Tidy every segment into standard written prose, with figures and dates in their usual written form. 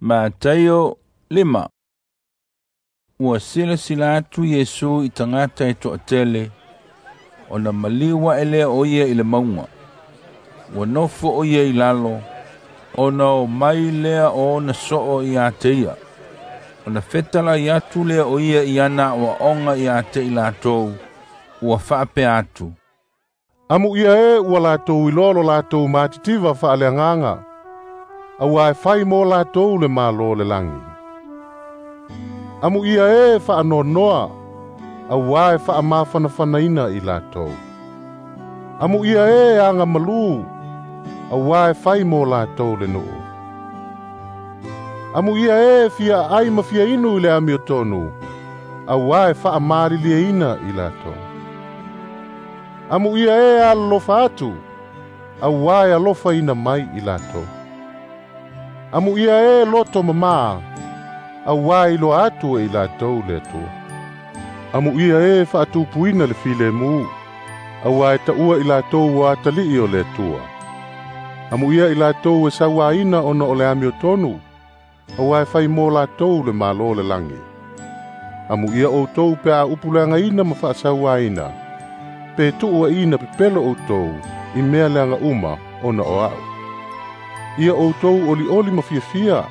Mataio 5. Ua silasila atu Iesu i tagata e toatele, ona maliu ae lea o ia i le mauga. Ua nofo o ia i lalo, ona o mai lea o ona soo ia te ia. Ona fetalai atu lea o ia i ana aoaoga ia te i latou, ua faapea atu. Amuia e ua latou iloa lo latou matitiva faaleagaga, auā e fai mo latou le Malo o le lagi. Amuia e faanoanoa, auā e faamafanafanaina i latou. Amuia e agamalu, auā e fai mo latou le nuu. Amuia e fia aai ma fia inu i le amiotonu, auā e faamalilieina i latou. Amuia e alolofa atu, auā e alofaina mai i latou. Amuia e loto mamā, auā e iloa atu e i latou le Atua. Amuia e faatupuina le filemu, auā e taua i latou ua atalii o le Atua. Amuia i latou e sauaina ona o le amiotonu, auā e fai mo latou le Malo o le lagi. Amuia outou pe a upuleagaina ma faasauaina, pe tuuaina pepelo outou i mea leaga uma ona o a'u. Ia outou olioli ma fiafia,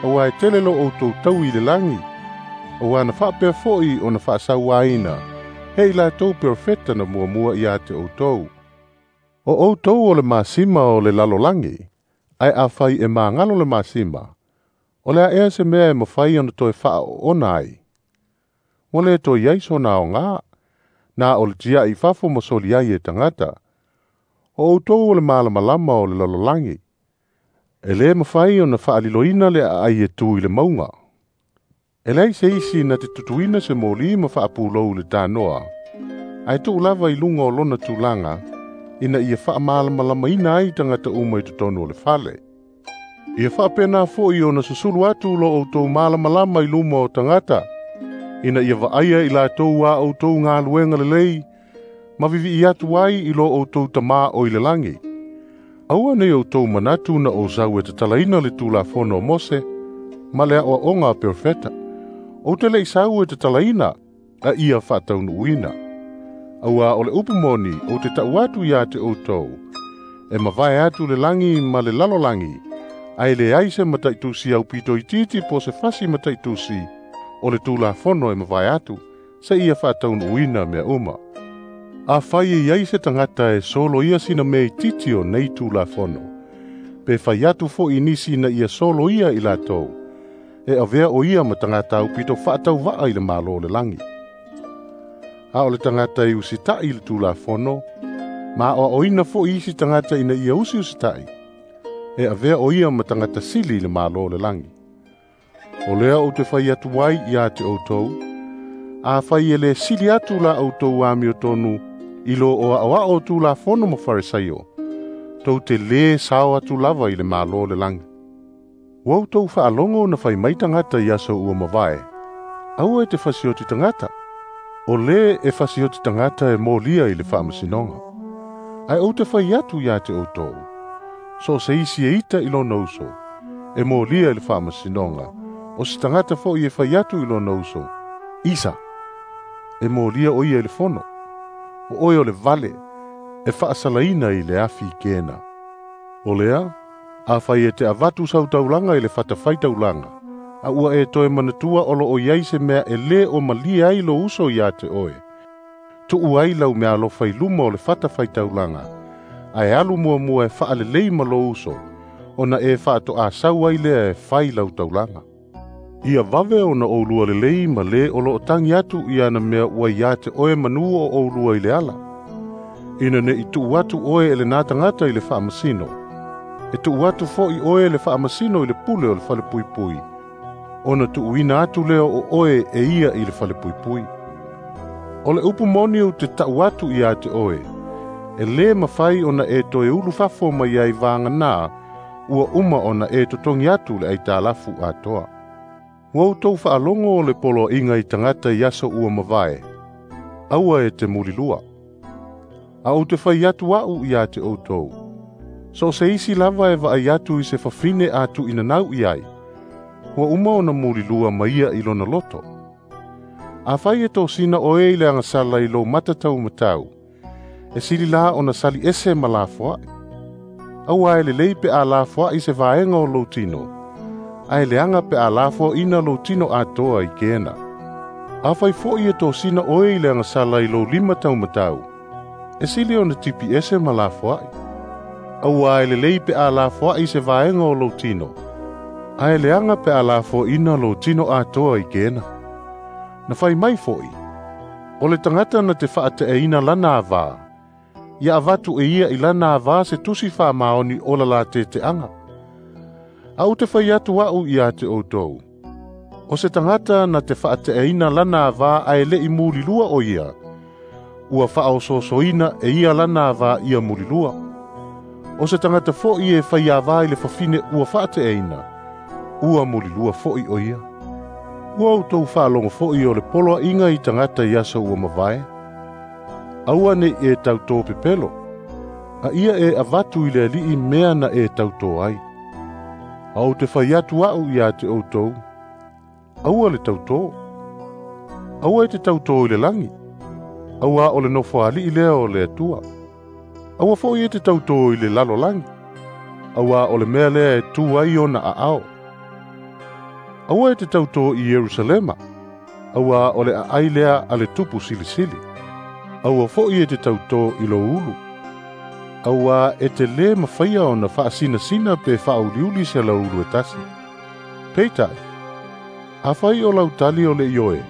auā e tele lo outou taui i le lagi, auā na faapea fo'i ona faasauaina he i latou perofeta na muamua ia te outou. O outou o le masima o le lalolagi, ae afai e magalo le masima, o le a ea se mea e mafai ona toe faaoona ai? Ua le toe i ai sona aogā, na o le tiai i fafo ma soli ai e tagata. O outou o le malamalama o le lalolagi. E lē mafai ona faaliloina le aai e tu i le mauga. E leai se isi na te tutuina se moli ma faapulou i le tanoa, ae tuu lava i luga o lona tulaga, ina ia faamalamalamaina ai tagata uma i totonu o le fale. Ia faapena fo'i ona susulu atu lo outou malamalama i luma o tagata, ina ia vaaia i latou a outou galuega lelei, ma vivii atu ai i lo outou Tamā o i le lagi. Aua nei outou manatu na ou sau e tatalaina le Tulafono o Mose ma le aoaoga a perofeta. Ou te le'i sau e tatalaina, a ia faataunuuina. Auā o le upu moni ou te ta'u atu iā te outou, e mavae atu le lagi ma le lalolagi, ae leai se mataitusi aupito itiiti po o se fasi mataitusi o le Tulafono e mavae atu, seia faataunuuina mea uma. Afai e i ai se tagata e soloia sina mea itiiti o nei Tulafono, pe fai atu fo'i nisi ina ia soloia i latou, e avea o ia ma tagata aupito faatauvaa i le Malo o le lagi. A o le tagata e usita'i i le Tulafono, ma aoaoina fo'i isi tagata ina ia usiusita'i, e avea o ia ma tagata sili i le Malo o le lagi. O lea ou te fai atu ai ia te outou, afai e lē sili atu la outou amiotonu i lo o aoao o Tulafono ma Farisai'o, tou te lē sao atu lava i le Malo o le lagi. Ua outou faalogo na fai mai tagata i aso ua mavae, aua e te fasioti tagata. O lē e fasioti tagata e molia i le faamasinoga. Ae ou te fai atu ia te outou, so o se isi e ita i lona uso, e molia i le faamasinoga, o se tagata fo'i e fai atu i lona uso, Isa, e molia o ia i le fono. O oe o le vale, e faasalaina i le afi kena. O lea, afai e te avatu sau taulaga i le fatafaitaulaga, a ua e toe manatua o loo i ai se mea e lē o malie ai lo uso iā te oe, tuu ai lau meaalofa i luma o le fatafaitaulaga, ae alu muamua e faalelei ma lou uso, ona e faatoasau ai lea e fai lau taulaga. Ia vave ona oulua lelei ma lē o loo tagi atu i ana mea ua iā te oe manū o oulua i le ala. Ina ne'i tuu atu oe e lenā tagata i le faamasino, e tuu atu fo'i oe le faamasino i le pule o le falepuipui, ona tuuina atu lea o oe e ia i le falepuipui. O le upu moni ou te ta'u atu iā te oe, e lē mafai ona e toe ulu fafo mai ai vaganā ua uma ona e totogi atu le aitalafu atoa. Ua outou faalogo o le poloaiga i tagata i aso ua mavae, aua e te mulilua. A ou te fai atu a'u iā te outou, so o se isi lava e vaai atu i se fafine a tuuinanau i ai, Ua uma ona mulilua ma ia i lona loto. Afai e tosina oe i le agasala i lou mata taumatau, e sili la ona sali ese ma lafoai. Auā e lelei pe a lafoai se vaega o lou tino, ae leaga pe a lafoaina lou tino atoa i Kena. Afai foi e tosina oe i le agasala i lou lima taumatau, e sili ona tipi ese ma lafoai. Auā e lelei pe a lafoai se vaega o lou tino, ae leaga pe a lafoaina lou tino atoa i Kena. Na fai mai foi, o le tagata na te faateaina lana avā, ia avatu e ia i lana avā se tusi faamaoni o la lateteaga. A ou te fai atu a'u ia te outou, o se tagata na te faateaina lana avā ae le'i mulilua o ia, ua faaosoosoina e ia lana avā ia mulilua. O se tagata fo'i e fai avā i le fafine ua faateaina, ua mulilua fo'i o ia. Ua outou faalogo fo'i o le poloa'iga i tagata i aso ua mavae. Aua ne'i e tautō pepelo, a ia e avatu i le ali'i mea na e tautō ai. A ou te fai atu a'u ia te outou, aua le tautō. Aua e te tautō i le lagi, auā o le nofoali'i lea o le Atua. Aua fo'i e te tautō i le lalolagi, auā o le mea lea e tū ai ona aao. Aua e te tautō i Ierusalema, auā o le aai lea a le Tupu Silisili. Aua fo'i e te tautō i lou ulu, auā e te lē mafaia ona faasinasina pe faauliuli se lauulu e tasi. Peitai, afai o lau tali o le ioe,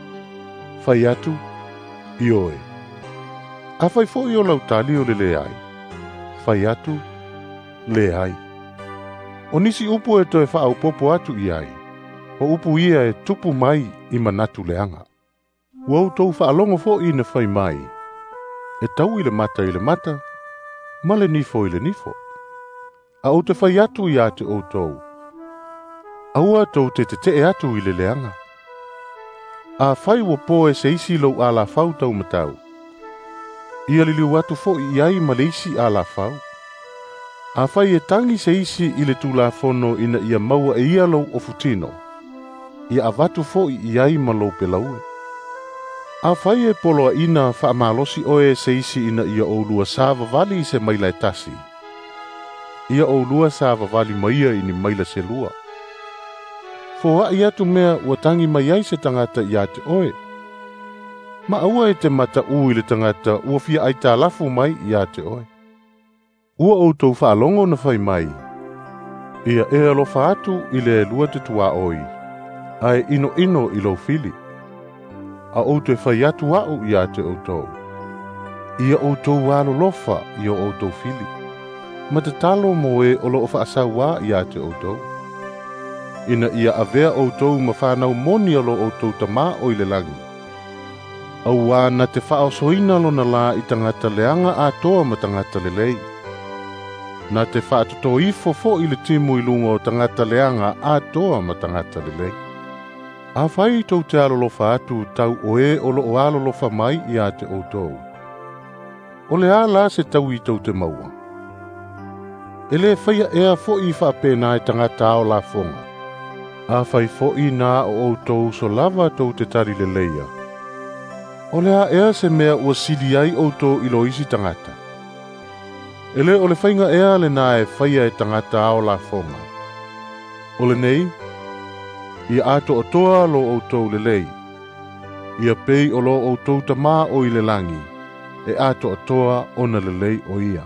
fai atu, ioe. Afai fo'i o lau tali o le leai, fai atu, leai. O nisi upu e toe faaopopo atu i ai, o upu ia e tupu mai i manatu leaga. Ua outou faalogo fo'i na fai mai, e tau i le mata i le mata, ma le nifo i le nifo. A ou te fai atu ia te outou, aua tou te tete'e atu i le leaga. Afai ua po e se isi lou alafau taumatau, ia liliu atu fo'i i ai ma le isi alafau. Afai e tagi se isi i le Tulafono ina ia maua e ia lou ofutino, ia avatu fo'i i ai ma lou pelaue. Afai e poloaina faamalosi oe e se isi ina ia oulua savavali i se maila e tasi, ia oulua savavali ma ia i ni maila se lua. Foa'i atu mea ua tagi mai ai se tagata ia te oe, ma aua e te mata'ū i le tagata ua fia aitalafu mai ia te oe. Ua outou faalogo na fai mai, ia e alofa atu i le lua te tuaoi, ae inoino i lou fili. A ou te fai atu a'u ia te outou, ia outou alolofa i o outou fili, ma tatalo mo e o loo faasauā ia te outou. Ina ia avea outou ma fanau moni o lo outou tamā o i le lagi. Auā na te faaosoina lona lā i tagata leaga atoa ma tagata lelei. Na te faatotoifo fo'i le timu i luga o tagata leaga atoa ma tagata lelei. Afai tou te alolofa atu tau o e o loo alolofa mai ia te outou, o le a la se taui tou te maua. E lē faia ea fo'i faapena e tagata ao lafoga. Afai fo'i na o outou uso lava tou te tali leleia, o le a ea se mea ua sili ai outou i lo isi tagata. E lē o le faiga ea lenā e faia e tagata ao lafoga. O lenei, ia atoatoa lo outou lelei, ia pei o lo outou tamā o i le lagi, e atoatoa ona lelei o ia.